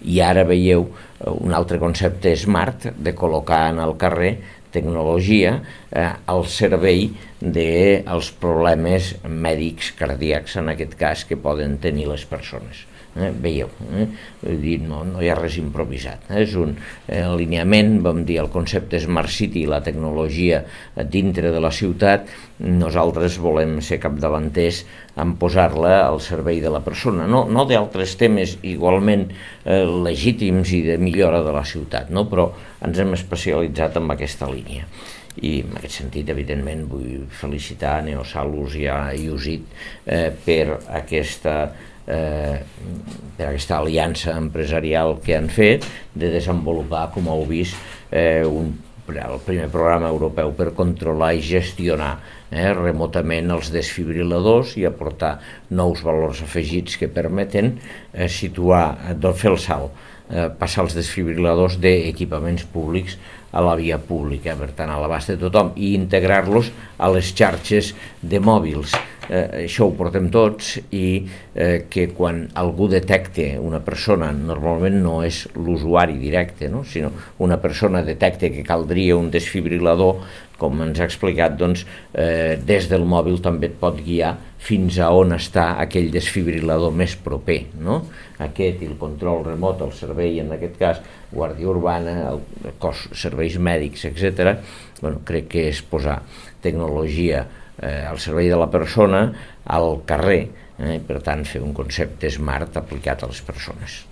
I ara veieu un altre concepte smart de col·locar en el carrer tecnologia al servei dels problemes mèdics cardíacs, en aquest cas, que poden tenir les persones. Veieu, no hi ha res improvisat, és un alineament, vam dir, el concepte Smart City, la tecnologia dintre de la ciutat. Nosaltres volem ser capdavanters en posar-la al servei de la persona, no d'altres temes igualment legítims i de millora de la ciutat, però ens hem especialitzat en aquesta línia. I en aquest sentit, evidentment, vull felicitar Neosalus i a IUSIT per aquesta aliança empresarial que han fet de desenvolupar, com heu vist, el primer programa europeu per controlar i gestionar remotament els desfibril·ladors i aportar nous valors afegits que permeten situar, fer el salt, passar els desfibril·ladors d'equipaments públics a la via pública, per tant, a l'abast de tothom, i integrar-los a les xarxes de mòbils. Això ho portem tots, i que quan algú detecta una persona, normalment no és l'usuari directe, sinó una persona detecta que caldria un desfibril·lador, com ens ha explicat, doncs des del mòbil també et pot guiar fins a on està aquell desfibril·lador més proper, aquest i el control remot, el servei, en aquest cas, Guàrdia Urbana, el cos, serveis mèdics, etc. Crec que és posar tecnologia al servei de la persona al carrer, per tant fer un concepte smart aplicat a les persones.